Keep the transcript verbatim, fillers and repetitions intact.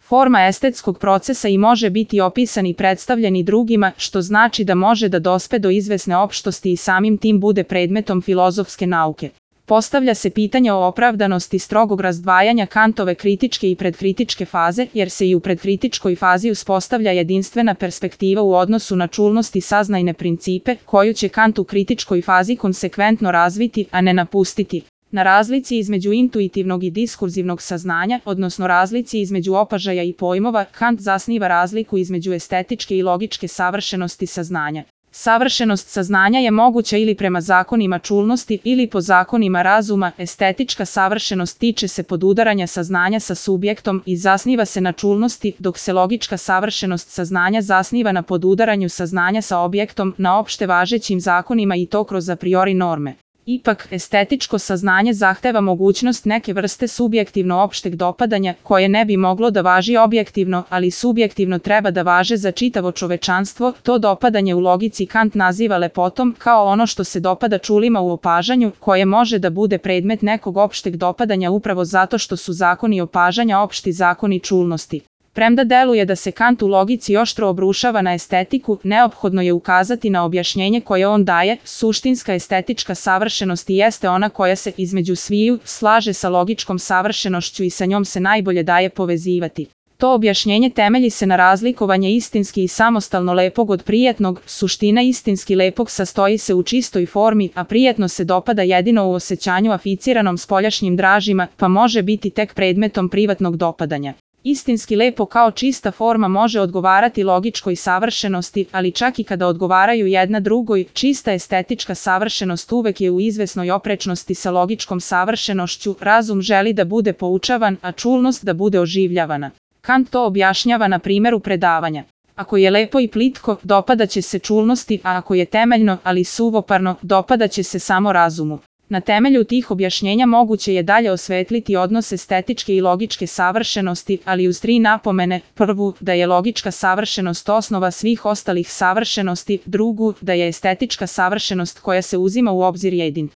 forma estetskog procesa i može biti opisan i predstavljen i drugima, što znači da može da dospe do izvesne opštosti i samim tim bude predmetom filozofske nauke. Postavlja se pitanje o opravdanosti strogog razdvajanja Kantove kritičke i predkritičke faze, jer se i u predkritičkoj fazi uspostavlja jedinstvena perspektiva u odnosu na čulnost i saznajne principe, koju će Kant u kritičkoj fazi konsekventno razviti, a ne napustiti. Na razlici između intuitivnog i diskurzivnog saznanja, odnosno razlici između opažaja i pojmova, Kant zasniva razliku između estetičke i logičke savršenosti saznanja. Savršenost saznanja je moguća ili prema zakonima čulnosti ili po zakonima razuma. Estetička savršenost tiče se podudaranja saznanja sa subjektom i zasniva se na čulnosti, dok se logička savršenost saznanja zasniva na podudaranju saznanja sa objektom, na opšte važećim zakonima i to kroz a priori norme. Ipak, estetičko saznanje zahteva mogućnost neke vrste subjektivno opšteg dopadanja, koje ne bi moglo da važi objektivno, ali subjektivno treba da važe za čitavo čovečanstvo. To dopadanje u logici Kant naziva lepotom, kao ono što se dopada čulima u opažanju, koje može da bude predmet nekog opšteg dopadanja upravo zato što su zakoni opažanja opšti zakoni čulnosti. Premda deluje da se Kant u logici oštro obrušava na estetiku, neophodno je ukazati na objašnjenje koje on daje. Suštinska estetička savršenost jeste ona koja se između sviju slaže sa logičkom savršenošću i sa njom se najbolje daje povezivati. To objašnjenje temelji se na razlikovanje istinski i samostalno lepog od prijetnog. Suština istinski lepog sastoji se u čistoj formi, a prijetno se dopada jedino u osećanju aficiranom spoljašnjim dražima, pa može biti tek predmetom privatnog dopadanja. Istinski lepo kao čista forma može odgovarati logičkoj savršenosti, ali čak i kada odgovaraju jedna drugoj, čista estetička savršenost uvek je u izvesnoj oprečnosti sa logičkom savršenošću. Razum želi da bude poučavan, a čulnost da bude oživljavana. Kant to objašnjava na primjeru predavanja. Ako je lepo i plitko, dopadaće se čulnosti, a ako je temeljno, ali suvoparno, dopadaće se samo razumu. Na temelju tih objašnjenja moguće je dalje osvetliti odnos estetičke i logičke savršenosti, ali uz tri napomene: prvu, da je logička savršenost osnova svih ostalih savršenosti; drugu, da je estetička savršenost koja se uzima u obzir jedin.